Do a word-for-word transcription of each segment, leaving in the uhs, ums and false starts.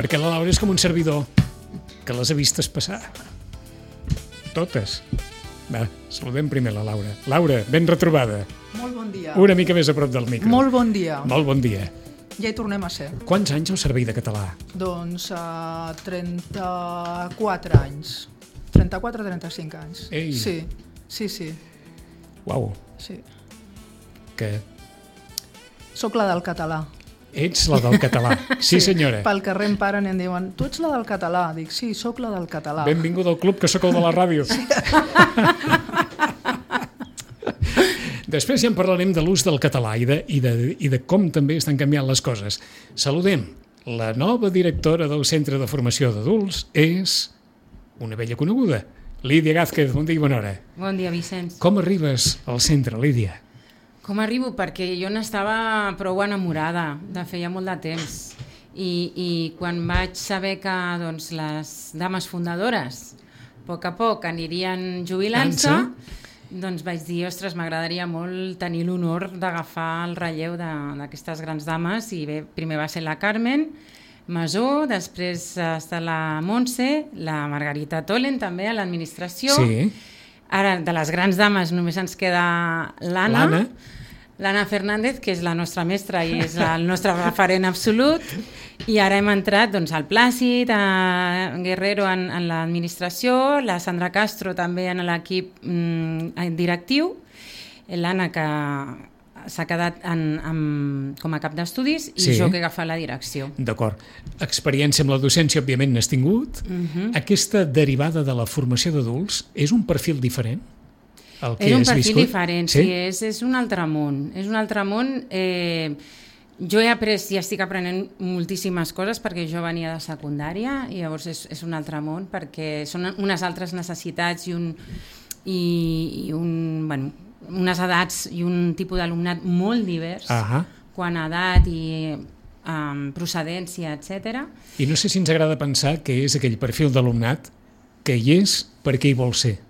perquè la Laura és com un servidor, que les ha vistes passar. Totes. Va, saludem primer la Laura. Laura, ben retrobada. Molt bon dia. Una mica més a prop del micro. Molt bon dia. Molt bon dia. Ja hi tornem a ser. Quants anys al servei de català? Doncs uh, trenta-quatre anys. trenta-quatre a trenta-cinc anys. Ei. Sí, sí, sí. Uau. Sí. Que Soc la del català. ets la del català. Sí, senyora. Pel carrer em paren i em diuen, tu ets la del català? Dic, sí, sóc la del català. Benvinguda al club, que sóc el de la ràdio. Sí. Després ja en parlarem de l'ús del català i de, i, de, i de com també estan canviant les coses. Saludem. La nova directora del Centre de Formació d'Adults és una vella coneguda, Lídia Gázquez. Bon dia i bona hora. Bon dia, Vicenç. Com arribes al centre, Lídia? Com arribo? Perquè jo n'estava prou enamorada de feia molt de temps. I, i quan vaig saber que doncs, les dames fundadores a poc a poc anirien jubilant-se, doncs vaig dir, ostres, m'agradaria molt tenir l'honor d'agafar el relleu d'aquestes grans dames. I bé, primer va ser la Carmen Masó, després ha estat la Montse, la Margarita Tolen també a l'administració. Sí. Ara, de les grans dames només ens queda l'Anna. L'Anna. L'Anna Fernández, que és la nostra mestra i és el nostre referent absolut, i ara hem entrat doncs, al Plàcid, a Guerrero en, en l'administració, la Sandra Castro també en l'equip mm, directiu, l'Anna que s'ha quedat en, en, com a cap d'estudis i sí. Jo que he agafat la direcció. D'acord. Experiència amb la docència, òbviament, n'has tingut. Uh-huh. Aquesta derivada de la formació d'adults és un perfil diferent? El que és un has perfil viscut? diferent, sí, sí és, és un altre món. És un altre món. Eh, jo he après i estic aprenent moltíssimes coses perquè jo venia de secundària i llavors és, és un altre món perquè són unes altres necessitats i, un, i, i un, bueno, unes edats i un tipus d'alumnat molt divers, uh-huh. quant a edat i um, procedència, etcètera. I no sé si ens agrada pensar que és aquell perfil d'alumnat que hi és perquè hi vol ser.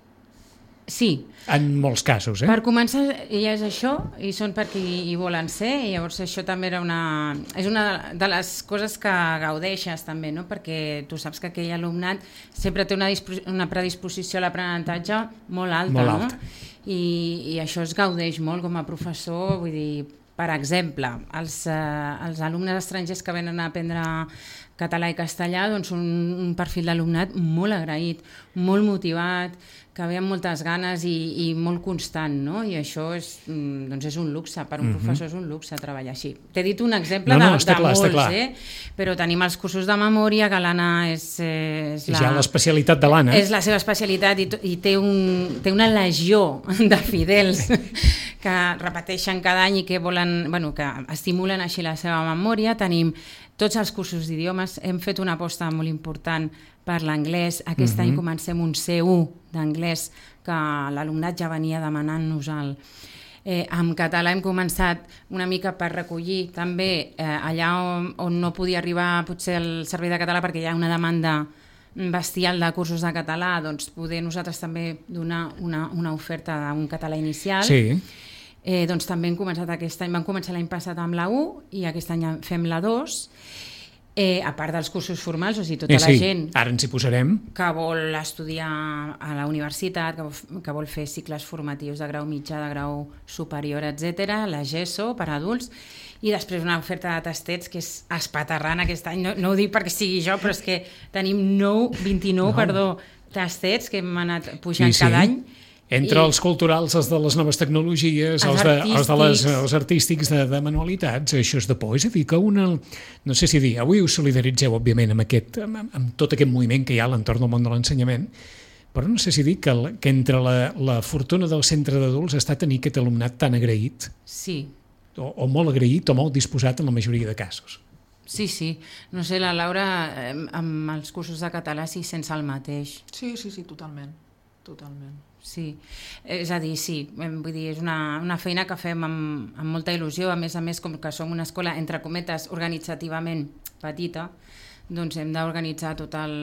Sí. En molts casos, eh? Per començar, ja és això, i són perquè hi volen ser, i llavors això també era una... és una de les coses que gaudeixes també, no? Perquè tu saps que aquell alumnat sempre té una, una predisposició a l'aprenentatge molt alta, molt no? alta. I, I això es gaudeix molt com a professor, vull dir, per exemple, els, eh, els alumnes estrangers que venen a aprendre català i castellà, doncs un, un perfil d'alumnat molt agraït, molt motivat, que ve amb moltes ganes i, i molt constant, no? I això és, doncs és un luxe, per un uh-huh. professor és un luxe treballar així. T'he dit un exemple no, no, de, de clar, molts, eh? Però tenim els cursos de memòria, que l'Anna és... és la, ja l'especialitat de l'Anna. És la seva especialitat i, i té, un, té una legió de fidels que repeteixen cada any i que volen, bueno, que estimulen així la seva memòria. Tenim tots els cursos d'idiomes, hem fet una aposta molt important per l'anglès. Aquest uh-huh. any comencem un C u d'anglès que l'alumnat ja venia demanant-nos-el. Eh, en català hem començat una mica per recollir també eh, allà on, on no podia arribar potser el servei de català perquè hi ha una demanda bestial de cursos de català, doncs poder nosaltres també donar una, una oferta d'un català inicial. Sí. Eh, doncs també hem començat aquest any, vam començar l'any passat amb la u i aquest any fem la dos, eh, a part dels cursos formals, o sigui, tota eh, sí. la gent ara ens hi posarem. Que vol estudiar a la universitat, que vol, que vol fer cicles formatius de grau mitjà, de grau superior, etcètera, la GESO per adults, i després una oferta de tastets que és espaterrant aquest any, no, no ho dic perquè sigui jo, però és que tenim nou, vint-i-nou, no. perdó, tastets que hem anat pujant sí, sí. cada any. Entre I els culturals, els de les noves tecnologies, els, els, de, els, de les, els artístics de, de manualitats, això és de por. És a dir, que una... No sé si dir, avui us solidaritzeu, òbviament, amb, aquest, amb, amb tot aquest moviment que hi ha a l'entorn del món de l'ensenyament, però no sé si dir que, que entre la, la fortuna del centre d'adults està tenir aquest alumnat tan agraït, sí. o, o molt agraït o molt disposat en la majoria de casos. Sí, sí. No sé, la Laura, amb els cursos de català sí sense el mateix. Sí, sí, sí, totalment. Totalment. Sí, és a dir, sí, vull dir, és una, una feina que fem amb, amb molta il·lusió, a més a més, com que som una escola, entre cometes, organitzativament petita, doncs hem d'organitzar tot el...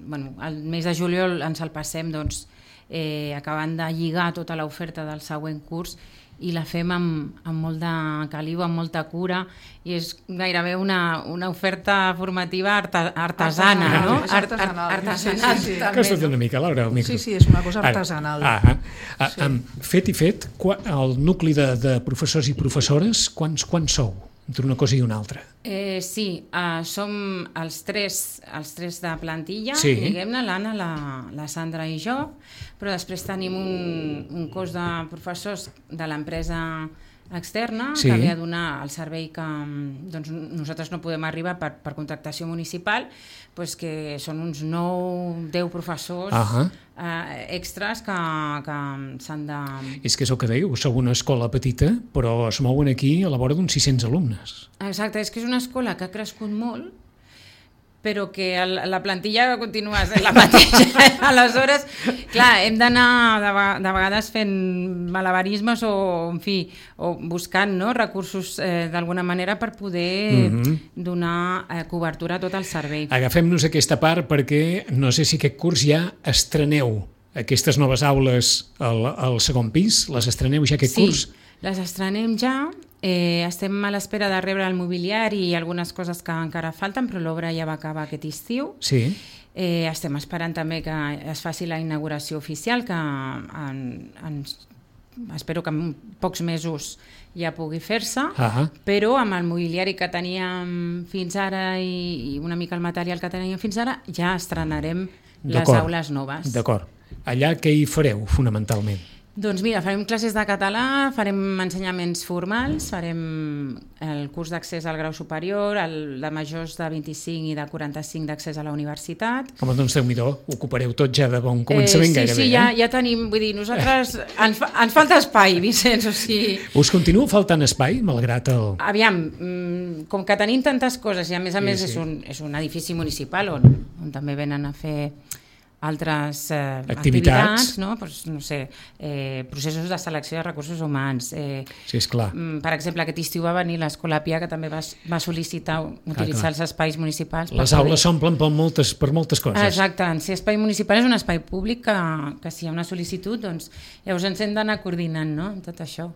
Bueno, el mes de juliol ens el passem, doncs, eh, acabant de lligar tota l'oferta del següent curs i la fem amb, amb molt de caliu, amb molta cura, i és gairebé una, una oferta formativa arta, artesana, artesanal, no? És artesanal. Art, artesanal, sí, sí, sí. també, Costa't no? una mica, Laura, el micro. Sí, sí, és una cosa artesanal. Ah, ah, ah, Sí. ah, fet i fet, qua- el nucli de, de professors i professores, quants, quants sou entre una cosa i una altra? Eh, sí, uh, som els tres, els tres de plantilla, Sí. diguem-ne, l'Anna, la, la Sandra i jo, però després tenim un, un cos de professors de l'empresa externa Sí. que ve a donar el servei que doncs, nosaltres no podem arribar per, per contractació municipal, doncs que són uns nou, deu professors Ahà. eh, extras que, que s'han de... És que és el que dèieu, sou una escola petita, però es mouen aquí a la vora d'uns sis-cents alumnes. Exacte, és que és una escola que ha crescut molt, però que el, la plantilla continua sent la mateixa. Aleshores, clar, hem d'anar de, ve- de vegades fent malabarismes o, en fi, o buscant, no, recursos eh, d'alguna manera per poder Mhm. donar eh, cobertura a tot el servei. Agafem-nos aquesta part perquè no sé si aquest curs ja estreneu aquestes noves aules al, al segon pis, les estreneu ja aquest Sí, curs? les estrenem ja. Eh, estem a l'espera de rebre el mobiliari i algunes coses que encara falten, però l'obra ja va acabar aquest estiu. Sí. Eh, estem esperant també que es faci la inauguració oficial, que en, en, espero que en pocs mesos ja pugui fer-se, Ah, però amb el mobiliari que teníem fins ara i, i una mica el material que teníem fins ara, ja estrenarem les D'acord. aules noves. d'acord. Allà què hi fareu, fonamentalment? Doncs mira, farem classes de català, farem ensenyaments formals, farem el curs d'accés al grau superior, el de majors de vint-i-cinc i de quaranta-cinc d'accés a la universitat. Home, doncs Déu-n'hi-do, ocupareu tot ja de bon començament eh, sí, gairebé. Sí, ja, eh? ja tenim, vull dir, nosaltres, ens, fa, ens falta espai, Vicenç, o sigui... Us continua faltant espai, malgrat el... Aviam, mm, com que tenim tantes coses i a més a Sí, més sí. és, un, és un edifici municipal on, on també venen a fer altres eh, Activitats. activitats, no? Pues, no sé, eh, processos de selecció de recursos humans. Eh, Sí, esclar. mm, per exemple, aquest estiu va venir l'Escola Pia, que també va, va sol·licitar utilitzar clar. els espais municipals. per Les poder- aules s'omplen per moltes, per moltes coses. Exacte, si espai municipal és un espai públic que, que si hi ha una sol·licitud, doncs llavors ens hem d'anar coordinant, no?, amb tot això.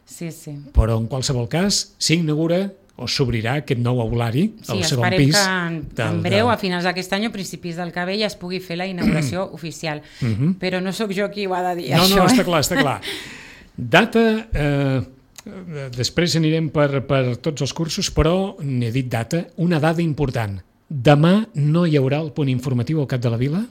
Sí, sí. Però en qualsevol cas, s'inaugura o s'obrirà aquest nou aulari Sí, al segon esperem pis. que en, del- en breu, del- a finals d'aquest any o principis del que ve, ja es pugui fer la inauguració oficial. Mhm. Però no sóc jo qui ho ha de dir, No, això. no, està eh? clar, està clar. Data, eh, eh, després anirem per, per tots els cursos, però n'he dit data, una dada important. Demà no hi haurà el punt informatiu al Cap de la Vila?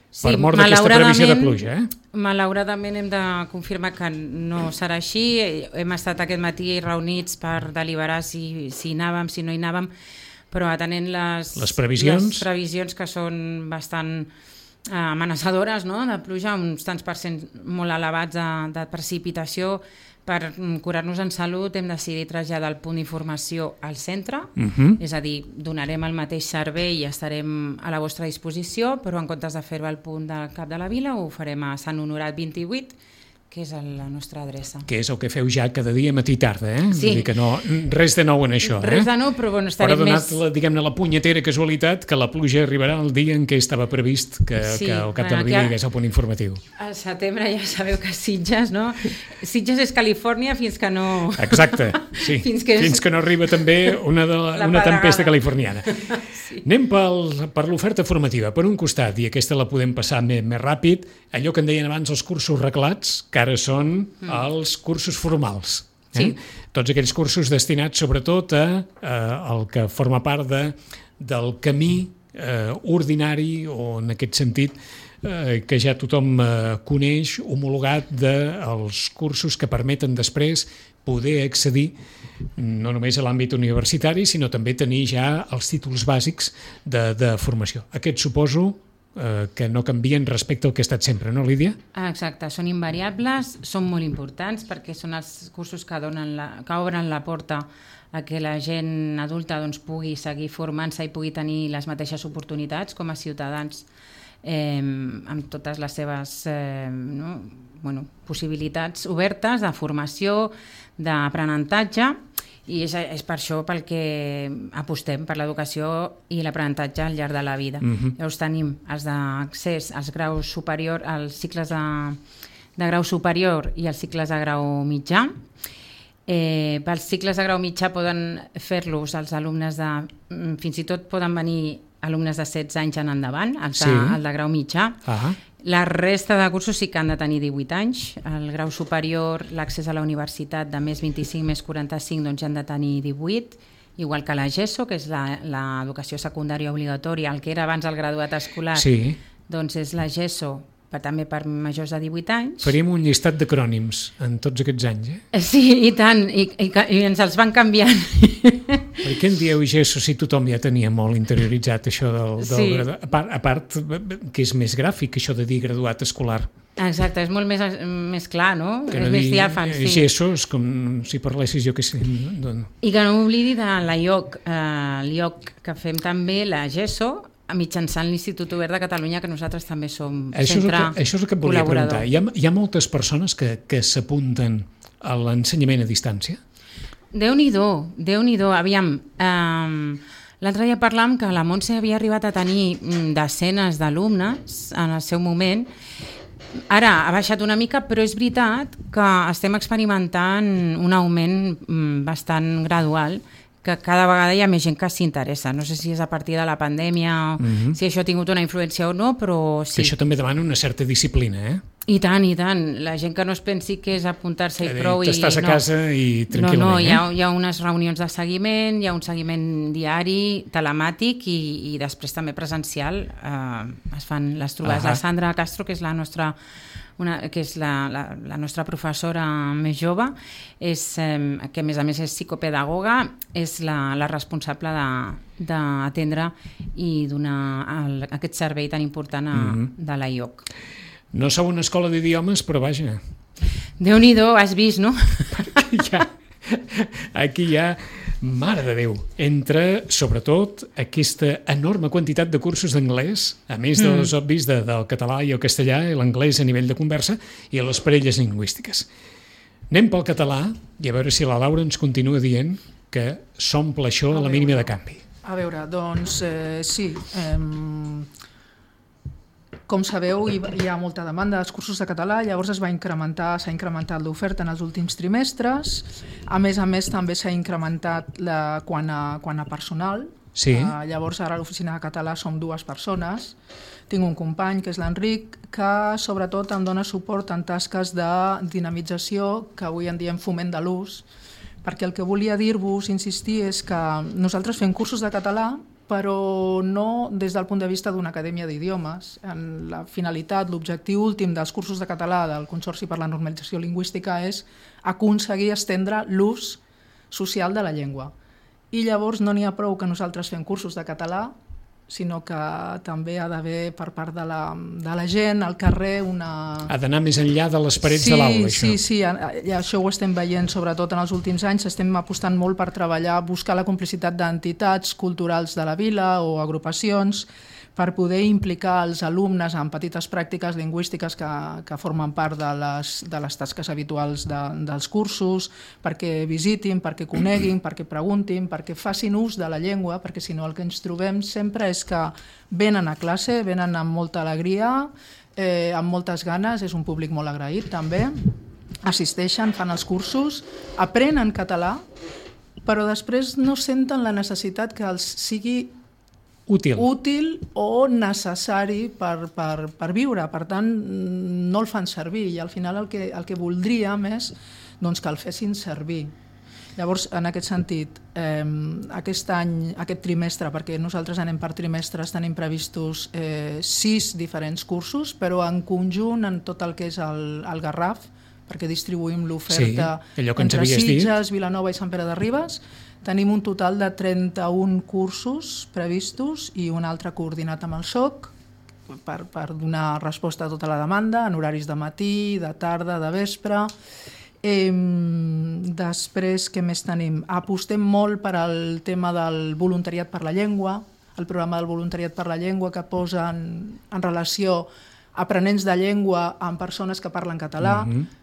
Per mort d'aquesta previsió de pluja, eh? Malauradament hem de confirmar que no serà així. Hem estat aquest matí reunits per deliberar si, si hi anàvem, si no hi anàvem, però atenent les, Les previsions. les previsions que són bastant eh, amenaçadores, no?, de pluja, uns tants per cent molt elevats de, de precipitació. Per mm, curar-nos en salut hem decidit traslladar el punt d'informació al centre, Mhm. és a dir, donarem el mateix servei i estarem a la vostra disposició, però en comptes de fer-ho al punt del Cap de la Vila ho farem a Sant Honorat vint-i-vuit, que és la nostra adreça. Que és el que feu ja cada dia matí i tarda, eh? Sí. Vull dir que no, res de nou en això, eh? Res de nou, però bueno, Però ha estarem donat, més... la, diguem-ne, la punyetera casualitat que la pluja arribarà el dia en què estava previst que, Sí, que al Cap de bueno, la Vila que- hi hagués el punt informatiu. Al setembre ja sabeu que Sitges, no? Sitges és Califòrnia fins que no... Exacte, sí. Fins que és- Fins que no arriba també una, de la, La una tempesta pedregada. californiana. Sí. Anem pel, per l'oferta formativa. Per un costat, i aquesta la podem passar més, més ràpid, allò que en deien abans els cursos reglats, que ara són mm. els cursos formals. Eh? Sí. Tots aquells cursos destinats sobretot a, a el que forma part de, del camí eh, ordinari o en aquest sentit eh, que ja tothom eh, coneix, homologat dels cursos que permeten després poder accedir no només a l'àmbit universitari, sinó també tenir ja els títols bàsics de, de formació. Aquest suposo eh, que no canvien respecte al que ha estat sempre, no, Lídia? Ah, exacte, són invariables, són molt importants perquè són els cursos que, donen la, que obren la porta a que la gent adulta doncs, pugui seguir formant-se i pugui tenir les mateixes oportunitats com a ciutadans eh, amb totes les seves eh, no? bueno, possibilitats obertes de formació, d'aprenentatge. I és, és per això pel que apostem, per l'educació i l'aprenentatge al llarg de la vida. Uh-huh. Llavors tenim els d'accés als graus superior, als cicles de, de grau superior i els cicles de grau mitjà. Eh, pels cicles de grau mitjà poden fer-los els alumnes de... Fins i tot poden venir alumnes de setze anys en endavant, el de, sí. el de grau mitjà. Uh-huh. La resta de cursos sí que han de tenir divuit anys. El grau superior, l'accés a la universitat de més vint-i-cinc, més quaranta-cinc, doncs ja han de tenir divuit, igual que la GESO, que és l'educació secundària obligatòria, el que era abans el graduat escolar, sí. doncs és la GESO, però també per majors de divuit anys. Faríem un llistat d'acrònims en tots aquests anys, eh? Sí, i tant, i, i, i ens els van canviant. Per què en dieu GESO si tothom ja tenia molt interioritzat això del, del sí. graduat? A part, a part, que és més gràfic, això de dir graduat escolar. Exacte, és molt més, més clar, no? Que no és més diàfan, sí. GESO és com si parlessis jo que sé. No? I que no oblidi de l'A I O C, eh, l'I O C que fem també, la GESO, mitjançant l'Institut Obert de Catalunya, que nosaltres també som això centre col·laborador. Això és el que et volia preguntar. Hi ha, hi ha moltes persones que, que s'apunten a l'ensenyament a distància? Déu-n'hi-do, Déu-n'hi-do. Aviam, eh, l'altre dia parlàvem que la Montse havia arribat a tenir desenes d'alumnes en el seu moment. Ara ha baixat una mica, però és veritat que estem experimentant un augment bastant gradual, que cada vegada hi ha més gent que s'interessa. No sé si és a partir de la pandèmia, mm-hmm. si això ha tingut una influència o no, però sí. Que això també demana una certa disciplina, eh? I tant, i tant. La gent que no es pensi que és apuntar-se i prou. T'estàs a no. casa i tranquil·lament. No, no, eh? hi ha, hi ha unes reunions de seguiment, hi ha un seguiment diari, telemàtic i, i després també presencial. Eh, es fan les trobades. Uh-huh. La Sandra Castro, que és la nostra... Una, que és la, la, la nostra professora més jove, és, eh, que a més a més és psicopedagoga, és la, la responsable d'atendre i donar el, aquest servei tan important a, mm-hmm. de l'A I O C. No sou una escola d'idiomes, però vaja. Déu-n'hi-do, has vist, no? ja, aquí ja... Mare de Déu, entre, sobretot, aquesta enorme quantitat de cursos d'anglès, a més dels mm. obvis de, del català i el castellà, i l'anglès a nivell de conversa, i les parelles lingüístiques. Anem pel català, i a veure si la Laura ens continua dient que s'omple això a la mínima de canvi. A veure, doncs, eh, sí... Eh, Com sabeu, hi ha molta demanda dels cursos de català, llavors es va incrementar, s'ha incrementat l'oferta en els últims trimestres. A més a més, també s'ha incrementat la, quan, a, quan a personal. Sí. Uh, llavors, ara a l'oficina de català som dues persones. Tinc un company, que és l'Enric, que sobretot em dona suport en tasques de dinamització, que avui en diem foment de l'ús, perquè el que volia dir-vos, insistir, és que nosaltres fem cursos de català, però no des del punt de vista d'una acadèmia d'idiomes. La finalitat, l'objectiu últim dels cursos de català del Consorci per la Normalització Lingüística és aconseguir estendre l'ús social de la llengua. I llavors no n'hi ha prou que nosaltres fem cursos de català, sinó que també ha d'haver per part de la, de la gent al carrer una... Ha d'anar més enllà de les parets sí, de l'aula, això. Sí, sí, i això ho estem veient sobretot en els últims anys, estem apostant molt per treballar, buscar la complicitat d'entitats culturals de la vila o agrupacions per poder implicar els alumnes en petites pràctiques lingüístiques que, que formen part de les, de les tasques habituals de, dels cursos, perquè visitin, perquè coneguin, perquè preguntin, perquè facin ús de la llengua, perquè si no el que ens trobem sempre és que venen a classe, venen amb molta alegria, eh, amb moltes ganes, és un públic molt agraït també, assisteixen, fan els cursos, aprenen català, però després no senten la necessitat que els sigui Útil. útil o necessari per, per, per viure. Per tant, no el fan servir i al final el que, el que voldríem és doncs, que el fessin servir. Llavors, en aquest sentit, eh, aquest any, aquest trimestre, perquè nosaltres anem per trimestres, tenim previstos eh, sis diferents cursos, però en conjunt en tot el que és el, el Garraf, perquè distribuïm l'oferta sí, entre Sitges, Vilanova i Sant Pere de Ribes. Tenim un total de trenta-un cursos previstos i un altre coordinat amb el S O C per, per donar resposta a tota la demanda, en horaris de matí, de tarda, de vespre. Eh, després, què més tenim? Apostem molt per al tema del voluntariat per la llengua, el programa del voluntariat per la llengua que posa en, en relació aprenents de llengua amb persones que parlen català. Mm-hmm.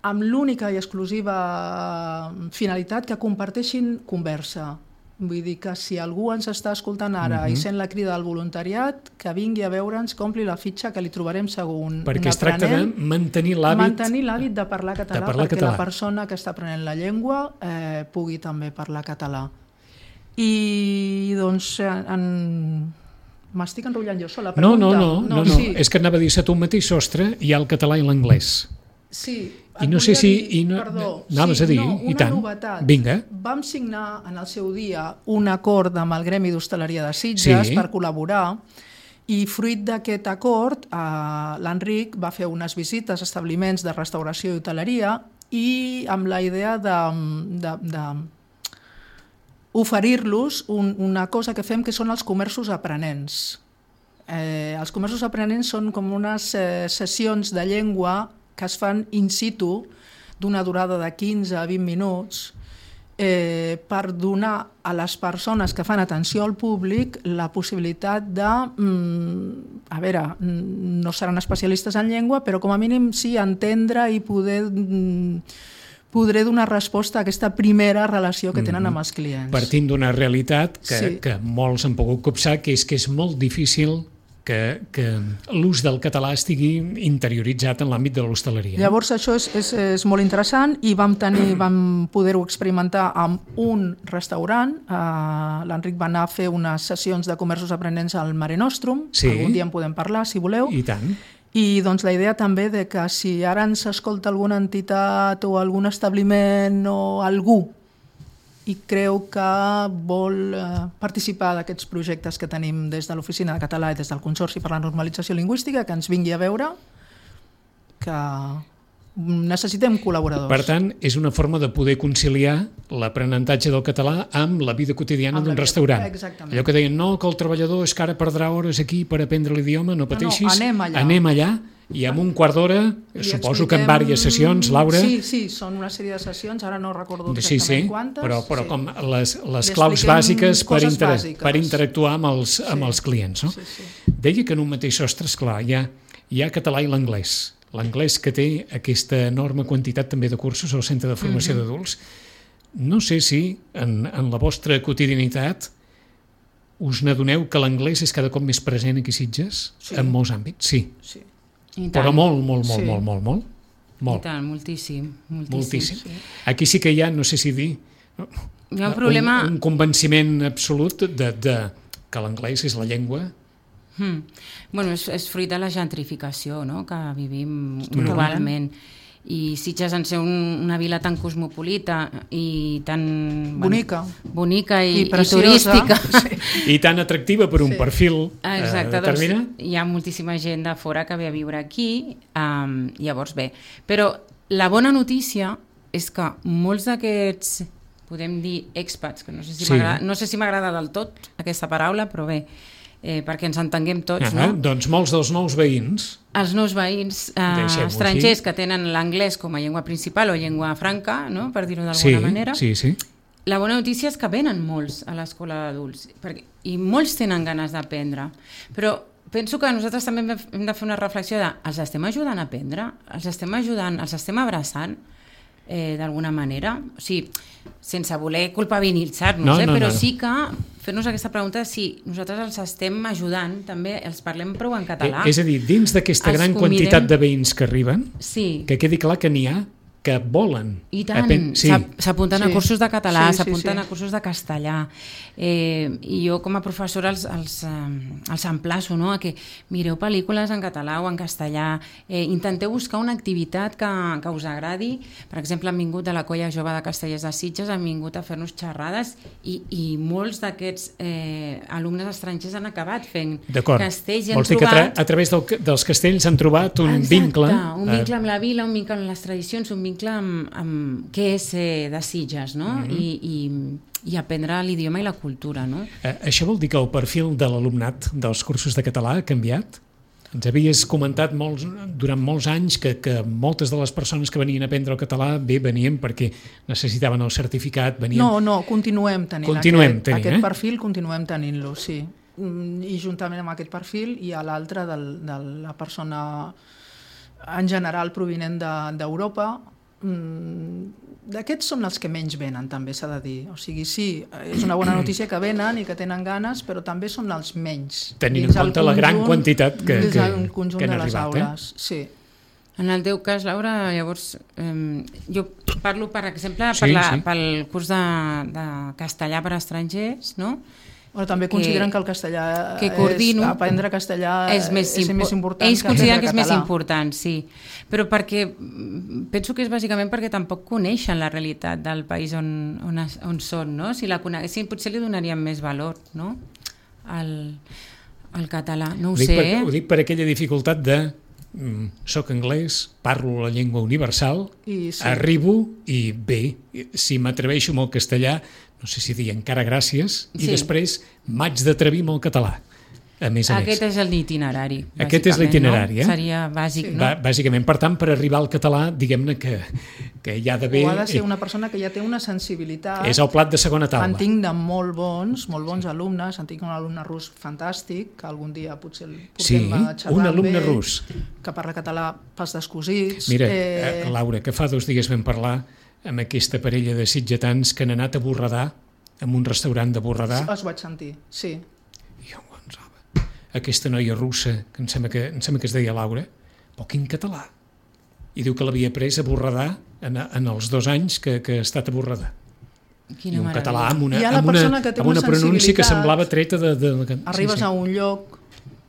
amb l'única i exclusiva finalitat que comparteixin conversa. Vull dir que si algú ens està escoltant ara uh-huh. i sent la crida del voluntariat, que vingui a veure'ns, que ompli la fitxa, que li trobarem segur un, perquè un es tracta de mantenir l'hàbit mantenir l'hàbit de parlar català, de parlar perquè català. La persona que està aprenent la llengua eh, pugui també parlar català. I doncs en... m'estic enrotllant jo sola. No, no, no, no, no. Sí. És que anava a dir-se tu un mateix sostre, hi ha el català i l'anglès. Sí, I no sé si... dir, I no, perdó, anaves sí, a dir, no, i tant. Novetat. Vinga. Vam signar en el seu dia un acord amb el Gremi d'Hostaleria de Sitges sí. per col·laborar, i fruit d'aquest acord eh, l'Enric va fer unes visites a establiments de restauració i hoteleria i amb la idea de, de, de oferir-los un, una cosa que fem que són els comerços aprenents. Eh, els comerços aprenents són com unes eh, sessions de llengua que es fan in situ d'una durada de quinze a vint minuts eh, per donar a les persones que fan atenció al públic la possibilitat de, mm, a veure, no seran especialistes en llengua, però com a mínim sí entendre i poder, mm, podré donar resposta a aquesta primera relació que tenen amb els clients. Partint d'una realitat que, sí. que molts han pogut copsar, que és que és molt difícil que, que l'ús del català estigui interioritzat en l'àmbit de l'hostaleria. Llavors això és, és, és molt interessant i vam, tenir, vam poder-ho experimentar amb un restaurant. Uh, L'Enric va anar a fer unes sessions de comerços aprenents al Mare Nostrum, sí. Algun dia en podem parlar, si voleu. I tant. I doncs la idea també de que si ara ens escolta alguna entitat o algun establiment o algú i creu que vol eh, participar d'aquests projectes que tenim des de l'Oficina de Català i des del Consorci per la Normalització Lingüística, que ens vingui a veure, que necessitem col·laboradors. Per tant, és una forma de poder conciliar l'aprenentatge del català amb la vida quotidiana d'un restaurant. Exactament. Allò que deien, no, que el treballador és que ara perdrà hores aquí per aprendre l'idioma, no pateixis, no, no, anem allà. Anem allà i amb un quart d'hora, suposo que en diverses sessions, Laura... Sí, sí, són una sèrie de sessions, ara no recordo exactament sí, sí, quantes. Però, però sí. com les, les claus bàsiques per, inter... bàsiques per interactuar amb els, sí. amb els clients. No? Sí, sí. Deia que en un mateix sostre, esclar, hi ha, hi ha català i l'anglès. L'anglès que té aquesta enorme quantitat també de cursos al Centre de Formació mm-hmm. d'Adults. No sé si en, en la vostra quotidianitat us n'adoneu que l'anglès és cada cop més present aquí a Sitges, sí. en molts àmbits, sí. sí. Però molt, molt, molt, sí. molt, molt, molt. Molt. I tant, moltíssim. Moltíssim. moltíssim. Sí. Aquí sí que hi ha, no sé si dir, hi ha un, problema... un, un convenciment absolut de, de que l'anglès és la llengua. Hmm. Bueno, és, és fruit de la gentrificació, no?, que vivim globalment. I Sitges, en ser un, una vila tan cosmopolita i tan... Bonica. Bueno, bonica i, I, i turística. Sí. I tan atractiva per un sí. perfil Exacte, eh, determinat. Doncs hi ha moltíssima gent de fora que ve a viure aquí, um, llavors bé. Però la bona notícia és que molts d'aquests, podem dir expats, que no sé si sí. m'agrada, no sé si m'agrada del tot aquesta paraula, però bé, eh, perquè ens entenguem tots, ah, no? Doncs molts dels nous veïns... Els nous veïns eh, estrangers que tenen l'anglès com a llengua principal o llengua franca, no?, per dir-ho d'alguna sí, manera. Sí, sí. La bona notícia és que venen molts a l'escola d'adults perquè, i molts tenen ganes d'aprendre. Però penso que nosaltres també hem de fer una reflexió de els estem ajudant a aprendre, els estem ajudant, els estem abraçant eh, d'alguna manera. O sigui, sense voler culpabilitzar-nos, no, eh, no, però no. sí que fer-nos aquesta pregunta si nosaltres els estem ajudant, també els parlem prou en català. Eh, és a dir, dins d'aquesta gran convidem... quantitat de veïns que arriben, sí. que quedi clar que n'hi ha que volen. I tant, sí. s'apunten sí. a cursos de català, sí, s'apunten sí, sí. a cursos de castellà. Eh, I jo com a professora els, els, eh, els emplaço, no?, a que mireu pel·lícules en català o en castellà, eh, intenteu buscar una activitat que, que us agradi. Per exemple, han vingut de la Colla Jove de Castellers de Sitges, han vingut a fer-nos xerrades i, i molts d'aquests eh, alumnes estrangers han acabat fent castells i han Vols dir trobat... que a, tra a través del, dels castells han trobat un Exacte, vincle... un vincle amb la vila, un vincle amb les tradicions, un vincle amb, amb què és ser de Sitges, no? Mm-hmm. I, i, i aprendre l'idioma i la cultura, no? Eh, això vol dir que el perfil de l'alumnat dels cursos de català ha canviat? Ens havies comentat molts, durant molts anys que, que moltes de les persones que venien a aprendre el català bé venien perquè necessitaven el certificat, venien... No, no, continuem tenint continuem aquest, tenint, aquest eh? perfil, continuem tenint-lo, sí. I juntament amb aquest perfil hi ha l'altre de la persona en general provinent d'Europa, D'aquests són els que menys venen, també s'ha de dir. O sigui, sí, és una bona notícia que venen i que tenen ganes, però també són els menys. Tenint en compte la gran quantitat que, que, que han arribat. Eh? Sí. En el teu cas, Laura, llavors, eh, jo parlo, per exemple, sí, per la, sí. pel curs de, de castellà per a estrangers, no? Bueno, també consideren que, que el castellà, que coordino, és, aprendre castellà és més, és més important ells que consideren que és català. més important, sí. Però perquè, penso que és bàsicament perquè tampoc coneixen la realitat del país on, on, on són, no? Si la coneguessin, potser li donaríem més valor, no? Al, al català, no ho, ho sé. Per, eh? Ho dic per aquella dificultat de mm, soc anglès, parlo la llengua universal, I sí. arribo i bé, si m'atreveixo amb el castellà, no sé si dir encara gràcies, i sí. després m'haig d'atrevir amb el català. A més a Aquest més. és l'itinerari. Aquest és l'itinerari, no? eh? Seria bàsic, sí. no? Ba bàsicament, per tant, per arribar al català, diguem-ne que, que hi ha d'haver... O ha de ser una persona que ja té una sensibilitat... És el plat de segona taula. En tinc de molt bons, molt bons alumnes, en tinc un alumne rus fantàstic, que algun dia potser el portem sí, a xerrar un alumne amb ell, rus. Que parla català pels descosits. Mira, eh... Laura, que fa dos dies vam parlar amb aquesta parella de sitgetans que han anat a Borredà, en un restaurant de Borredà. Els vaig sentir, sí. Jo ho pensava. Aquesta noia russa, que em sembla que, em sembla que es deia Laura, però quin català. I diu que l'havia pres a Borredà en, en els dos anys que, que ha estat a Borredà. Quina I un meravella. català amb una, amb una, una, amb una pronúncia que semblava treta de... de, de arribes sí, sí. a un lloc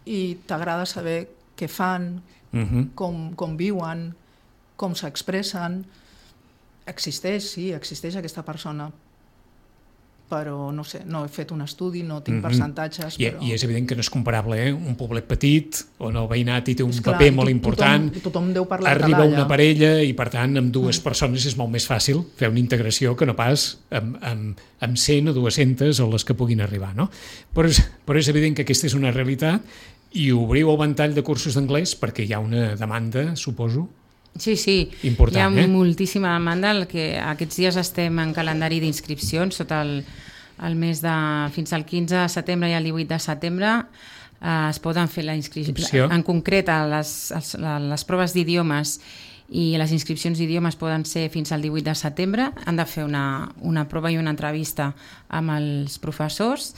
i t'agrada saber què fan, uh -huh. com, com viuen, com s'expressen. Existeix, sí, existeix aquesta persona, però no sé, no he fet un estudi, no tinc mm -hmm. percentatges. I, però... I és evident que no és comparable, eh? Un poblet petit, on el veïnat hi té un Esclar, paper molt tothom, important, tothom deu parlar arriba català, una ja. parella i per tant amb dues mm. persones és molt més fàcil fer una integració que no pas amb, amb, amb cent o dues-centes o les que puguin arribar, no? Però és, però és evident que aquesta és una realitat i obriu el ventall de cursos d'anglès perquè hi ha una demanda, suposo. Sí, sí, important, hi ha eh? moltíssima demanda, el que aquests dies estem en calendari d'inscripcions sota el, el mes de fins al quinze de setembre i el divuit de setembre eh, es poden fer la inscripció. En concret, a les, a les proves d'idiomes i les inscripcions d'idiomes poden ser fins al divuit de setembre, han de fer una, una prova i una entrevista amb els professors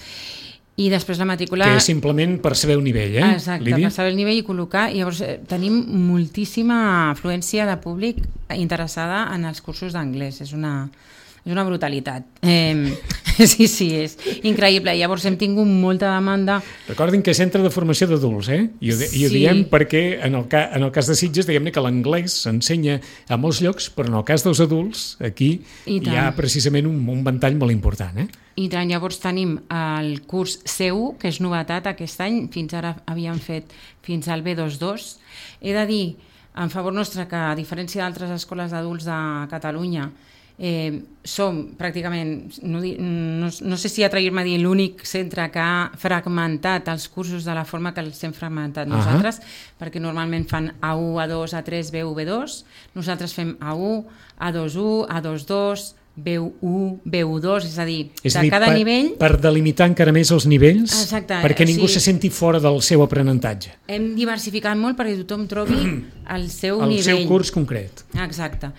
i després la matrícula... Que és simplement per saber el nivell, eh, Exacte, Lídia? per saber el nivell i col·locar. I llavors eh, tenim moltíssima afluència de públic interessada en els cursos d'anglès. És una, és una brutalitat. Eh, sí, sí, és increïble. Llavors hem tingut molta demanda. Recordin que és centre de formació d'adults, eh? I ho, i ho Sí. diem perquè en el, ca, en el cas de Sitges, diguem-ne que l'anglès s'ensenya a molts llocs, però en el cas dels adults, aquí hi ha precisament un, un ventall molt important, eh? I tant, llavors tenim el curs C u, que és novetat aquest any, fins ara havíem fet fins al B vint dos. He de dir, en favor nostre, que a diferència d'altres escoles d'adults de Catalunya, eh, som pràcticament, no, no, no sé si atrevir-me a dir, l'únic centre que ha fragmentat els cursos de la forma que els hem fragmentat nosaltres, uh-huh. perquè normalment fan A u, A dos, A tres, B u, B dos, nosaltres fem A u, A dos u, A dos dos, B u, B u dos, és a dir, és de dir, cada per, nivell... Per delimitar encara més els nivells, Exacte, perquè ningú sí. se senti fora del seu aprenentatge. Hem diversificat molt perquè tothom trobi el seu el nivell. El seu curs concret. Exacte.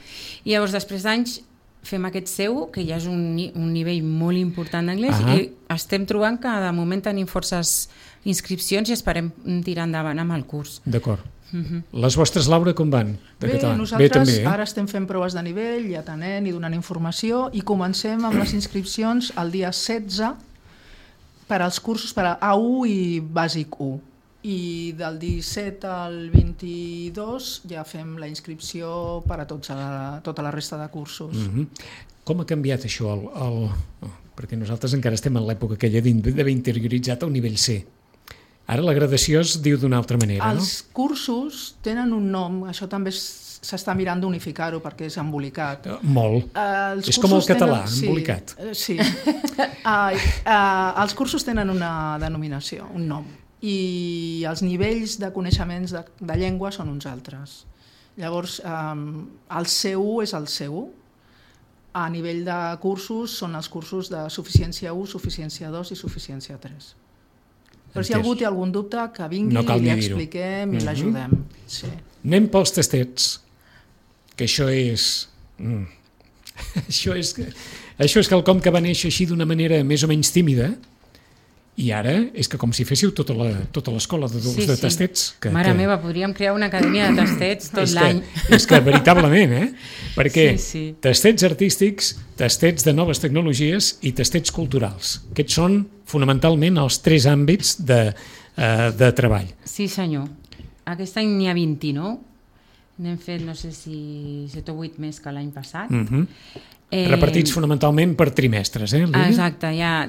I llavors, després d'anys, fem aquest C u, que ja és un, un nivell molt important d'anglès, uh-huh. i estem trobant que de moment tenim forces inscripcions i esperem tirar endavant amb el curs. D'acord. Uh-huh. Les vostres, Laura, com van? De Bé, català? nosaltres Bé, també, eh? ara estem fent proves de nivell i atenent i donant informació i comencem amb les inscripcions el dia setze per als cursos per a A u i Bàsic u. I del disset al vint-i-dos ja fem la inscripció per a tots a, tota la resta de cursos. Uh-huh. Com ha canviat això? El, el... Oh, perquè nosaltres encara estem en l'època aquella d'haver interioritzat el nivell C. Ara la gradació es diu d'una altra manera, Els no? Els cursos tenen un nom, això també s'està mirant d'unificar-ho perquè és embolicat. Uh, molt. Uh, és com el català, tenen, embolicat. Sí. sí. uh, uh, els cursos tenen una denominació, un nom, i els nivells de coneixements de, de llengua són uns altres. Llavors, um, el C u és el C u. A nivell de cursos són els cursos de suficiència u, suficiència dos i suficiència tres. Però si algú té algun dubte, que vingui, no i li expliquem i mm-hmm. l'ajudem. Sí. Anem pels tastets, que això és Mm. Això és, això és quelcom que va néixer així d'una manera més o menys tímida, i ara és que com si féssiu tota la, tota l'escola d'adults sí, de tastets. Que, Mare que... meva, podríem crear una acadèmia de tastets tot l'any. És que veritablement, eh? Perquè sí, sí. tastets artístics, tastets de noves tecnologies i tastets culturals. Aquests són fonamentalment els tres àmbits de, uh, de treball. Sí, senyor. Aquest any n'hi ha vint-i-nou. N'hem fet, no sé si set o vuit més que l'any passat. Uh-huh. Eh, repartits fonamentalment per trimestres, eh? Lídia? Exacte, ja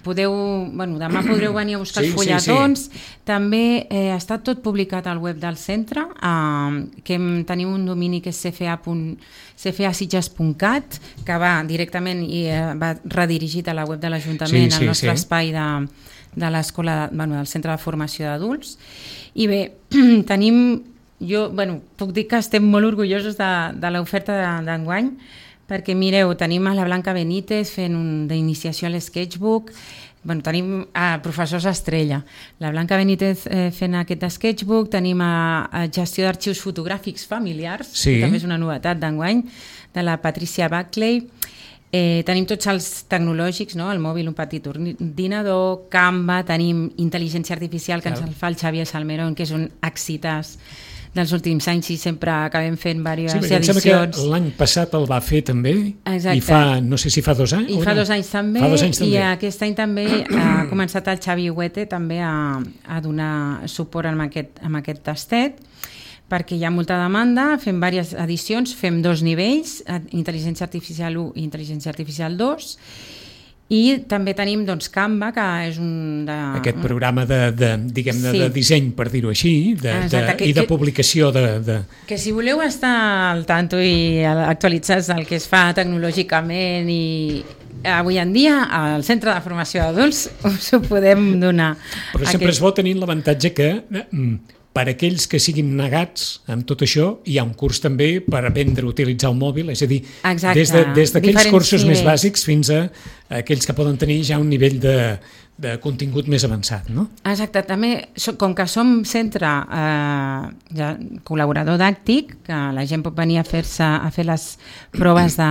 podeu, bueno, demà podreu venir a buscar sí, els fulletons. Sí, sí. També eh, està tot publicat al web del centre, eh, que tenim un domini que és c f a sitges punt cat, que va directament i eh, va redirigit a la web de l'Ajuntament, sí, sí, al nostre sí. espai de, de l'escola, bueno, del Centre de Formació d'Adults. I bé, tenim, jo, bueno, puc dir que estem molt orgullosos de, de l'oferta d'enguany, perquè mireu, tenim a la Blanca Benítez fent un d'iniciació a l'sketchbook, bueno, tenim a professors estrella, la Blanca Benítez eh, fent aquest sketchbook, tenim a, a gestió d'arxius fotogràfics familiars, sí. que també és una novetat d'enguany, de la Patricia Buckley. Eh, tenim tots els tecnològics, no? El mòbil, un petit ordinador, Canva, tenim intel·ligència artificial que Clar. ens el fa el Xavier Salmerón, que és un excitàs dels últims anys i sempre acabem fent diverses sí, edicions. Sí, em sembla que l'any passat el va fer també. Exacte. I fa, no sé si fa dos anys. I fa dos anys també, fa dos anys també. I aquest any també ha començat el Xavi Huete també a, a donar suport amb aquest, amb aquest tastet, perquè hi ha molta demanda, fem diverses edicions, fem dos nivells, intel·ligència artificial u i intel·ligència artificial dos, i també tenim doncs, Canva, que és un... De... Aquest programa de, de, diguem, sí. de disseny, per dir-ho així, de, Exacte, de, que, i de que, publicació de, de... Que si voleu estar al tanto i actualitzats del que es fa tecnològicament i avui en dia al Centre de Formació d'Adults us ho podem donar. Però sempre Aquest... és bo tenir l'avantatge que per aquells que siguin negats amb tot això, hi ha un curs també per aprendre a utilitzar el mòbil, és a dir, Exacte. des, de, des d'aquells cursos nivells. més bàsics fins a aquells que poden tenir ja un nivell de, de contingut més avançat, no? Exacte, també, com que som centre eh, ja, col·laborador dàctic, que la gent pot venir a fer-se a fer les proves de,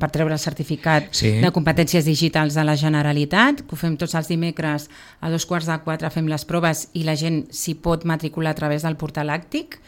per treure el certificat sí. de competències digitals de la Generalitat, que ho fem tots els dimecres a dos quarts de quatre, fem les proves i la gent s'hi pot matricular a través del portal Àctic.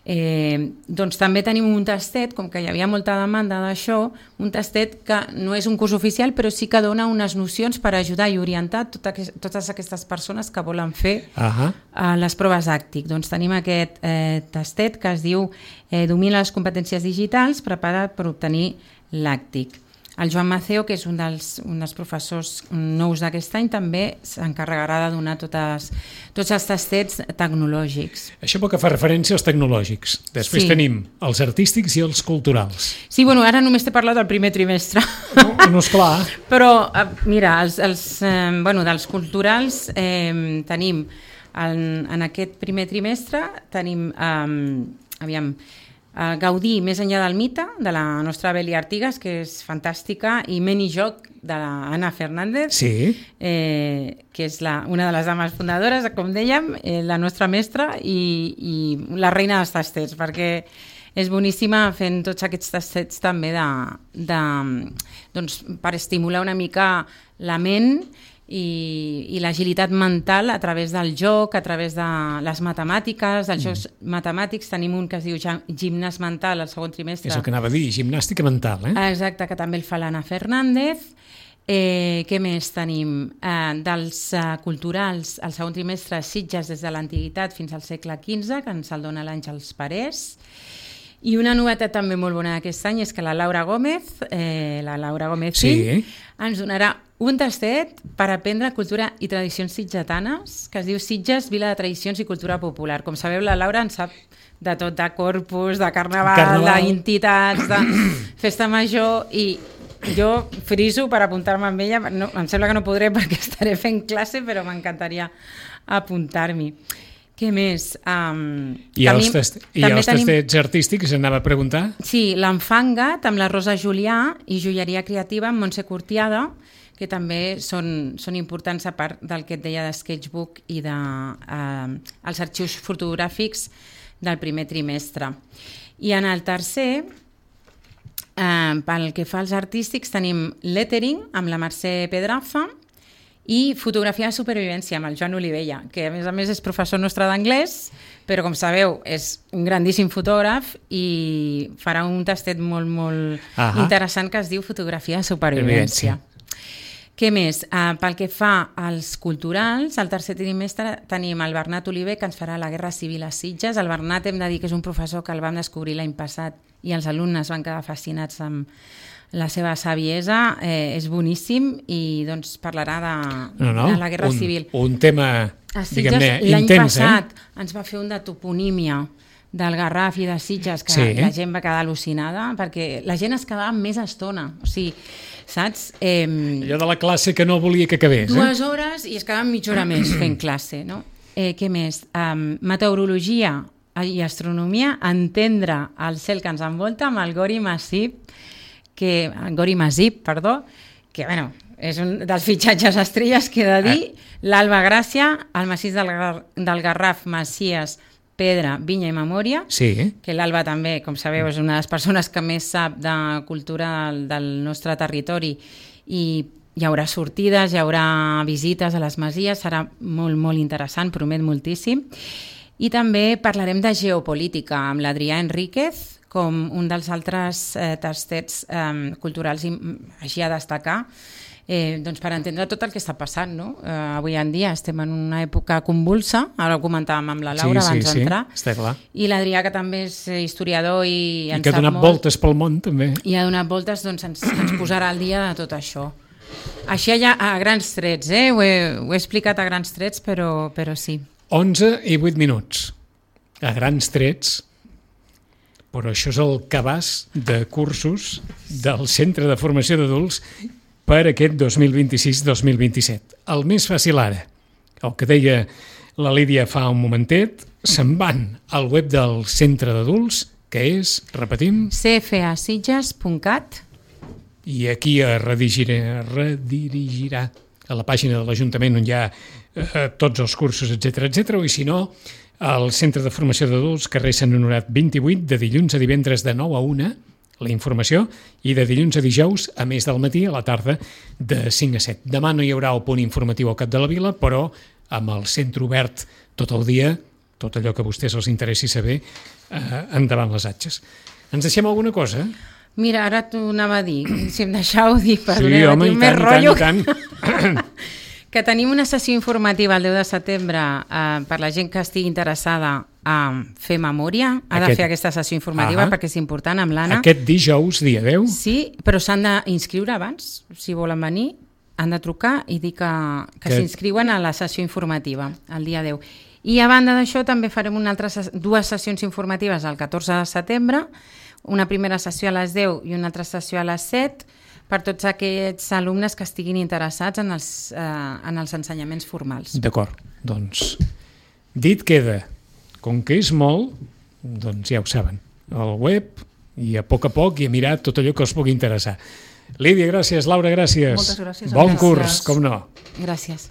Eh, doncs també tenim un tastet, com que hi havia molta demanda d'això, un tastet que no és un curs oficial però sí que dona unes nocions per ajudar i orientar tot aqu totes aquestes persones que volen fer uh-huh. eh, les proves Àctic. Doncs tenim aquest eh, tastet que es diu eh, Domina les competències digitals, preparat per obtenir l'Àctic. El Joan Maceo, que és un dels, un dels professors nous d'aquest any, també s'encarregarà de donar totes, tots els tastets tecnològics. Això pel que fa referència als tecnològics. Després sí. tenim els artístics i els culturals. Sí, bueno, ara només t'he parlat del primer trimestre. No, no és clar. Però, mira, els, els, eh, bueno, dels culturals eh, tenim, en, en aquest primer trimestre, tenim, eh, aviam, Uh, Gaudí més enllà del mite, de la nostra Beli Artigas, que és fantàstica, i Meni Joc, de l'Anna Fernández, sí. eh, que és la, una de les dames fundadores, com dèiem, eh, la nostra mestra i, i la reina dels tastets, perquè és boníssima fent tots aquests tastets també de, de, doncs, per estimular una mica la ment i, i l'agilitat mental a través del joc, a través de les matemàtiques, dels jocs mm. matemàtics. Tenim un que es diu gimnàs mental al segon trimestre. És el que anava a dir, gimnàstica mental, eh? Exacte, que també el fa l'Anna Fernández. Eh, què més tenim? Eh, dels eh, culturals, al segon trimestre, Sitges des de l'antiguitat fins al segle quinze, que ens el dona l'Àngels Parés. I una novetat també molt bona d'aquest any és que la Laura Gómez, eh, la Laura Gómez sí. fill, ens donarà un tastet per aprendre cultura i tradicions sitgetanes, que es diu Sitges, Vila de Tradicions i Cultura Popular. Com sabeu, la Laura en sap de tot, de corpus, de carnaval, carnaval. d'entitats, de festa major, i jo friso per apuntar-me amb ella. No, em sembla que no podré perquè estaré fent classe, però m'encantaria apuntar-m'hi. Què més? Um, I els, tast i els tenim... tastets artístics, anava a preguntar? Sí, l'Enfangat amb la Rosa Julià i Joieria Creativa amb Montse Curtiada, que també són, són importants a part del que et deia de sketchbook i de, uh, els arxius fotogràfics del primer trimestre. I en el tercer Eh, pel que fa als artístics, tenim lettering amb la Mercè Pedraza i fotografia de supervivència amb el Joan Olivella, que a més a més és professor nostre d'anglès, però com sabeu és un grandíssim fotògraf i farà un tastet molt, molt uh-huh. interessant que es diu fotografia de supervivència. Què més? Uh, pel que fa als culturals, al tercer trimestre tenim el Bernat Oliver, que ens farà la Guerra Civil a Sitges. El Bernat, hem de dir que és un professor que el vam descobrir l'any passat i els alumnes van quedar fascinats amb la seva saviesa, eh, és boníssim i doncs parlarà de, no, no. de la Guerra un, Civil. Un tema, diguem-ne, intens. L'any passat eh? ens va fer un de toponímia del Garraf i de Sitges, que sí. la gent va quedar al·lucinada, perquè la gent es quedava més estona. O sigui, saps? Eh, Allò de la classe que no volia que acabés. Dues eh? hores i es quedaven mitja hora més fent classe, no? Eh, què més? Um, meteorologia i astronomia, entendre el cel que ens envolta amb el Gori Masip, que, Gori Masip, perdó, que, bueno, és un dels fitxatges estrelles que he de dir, eh. l'Alba Gràcia, el massís del, Gar del Garraf, Masies, Pedra, Vinya i Memòria, sí. que l'Alba també, com sabeu, és una de les persones que més sap de cultura del, del nostre territori i hi haurà sortides, hi haurà visites a les masies, serà molt, molt interessant, promet moltíssim. I també parlarem de geopolítica amb l'Adrià Enríquez, com un dels altres eh, tastets eh, culturals i, així a destacar, eh, doncs per entendre tot el que està passant. No? Eh, avui en dia estem en una època convulsa, ara ho comentàvem amb la Laura sí, abans sí, d'entrar, sí, està clar. I l'Adrià, que també és historiador i, I que ha donat molt, voltes pel món també. I ha donat voltes, doncs ens, ens posarà al dia de tot això. Així ja a grans trets, eh? ho, he, ho he explicat a grans trets, però, però sí. onze i vuit minuts, a grans trets, però això és el cabàs de cursos del Centre de Formació d'Adults per aquest dos mil vint-i-sis dos mil vint-i-set. El més fàcil ara, el que deia la Lídia fa un momentet, se'n van al web del Centre d'Adults, que és, repetim... c f a sitges punt cat. I aquí es redirigirà, redirigirà a la pàgina de l'Ajuntament on hi ha eh, tots els cursos, etcètera, etcètera, i si no, al Centre de Formació d'Adults, carrer Sant Honorat vint-i-vuit, de dilluns a divendres de nou a una, la informació, i de dilluns a dijous, a més del matí, a la tarda, de cinc a set. Demà no hi haurà el punt informatiu al cap de la vila, però amb el centre obert tot el dia, tot allò que a vostès els interessi saber, eh, endavant les atxes. Ens deixem alguna cosa? Mira, ara t'ho anava a dir, si em deixau dir, per sí, home, i tant, i tant, i tant. Que tenim una sessió informativa el deu de setembre eh, per la gent que estigui interessada a fer memòria, ha Aquest... de fer aquesta sessió informativa ah perquè és important amb l'Anna. Aquest dijous, dia deu? Sí, però s'han d'inscriure abans, si volen venir, han de trucar i dir que, que, que... s'inscriuen a la sessió informativa, el dia deu. I a banda d'això també farem una altra, dues sessions informatives el catorze de setembre, una primera sessió a les deu i una altra sessió a les set, per tots aquests alumnes que estiguin interessats en els, eh, en els ensenyaments formals. D'acord, doncs dit queda, com que és molt, doncs ja ho saben, al web i a poc a poc i a mirar tot allò que us pugui interessar. Lídia, gràcies, Laura, gràcies. Moltes gràcies. Bon gràcies. curs, com no. Gràcies.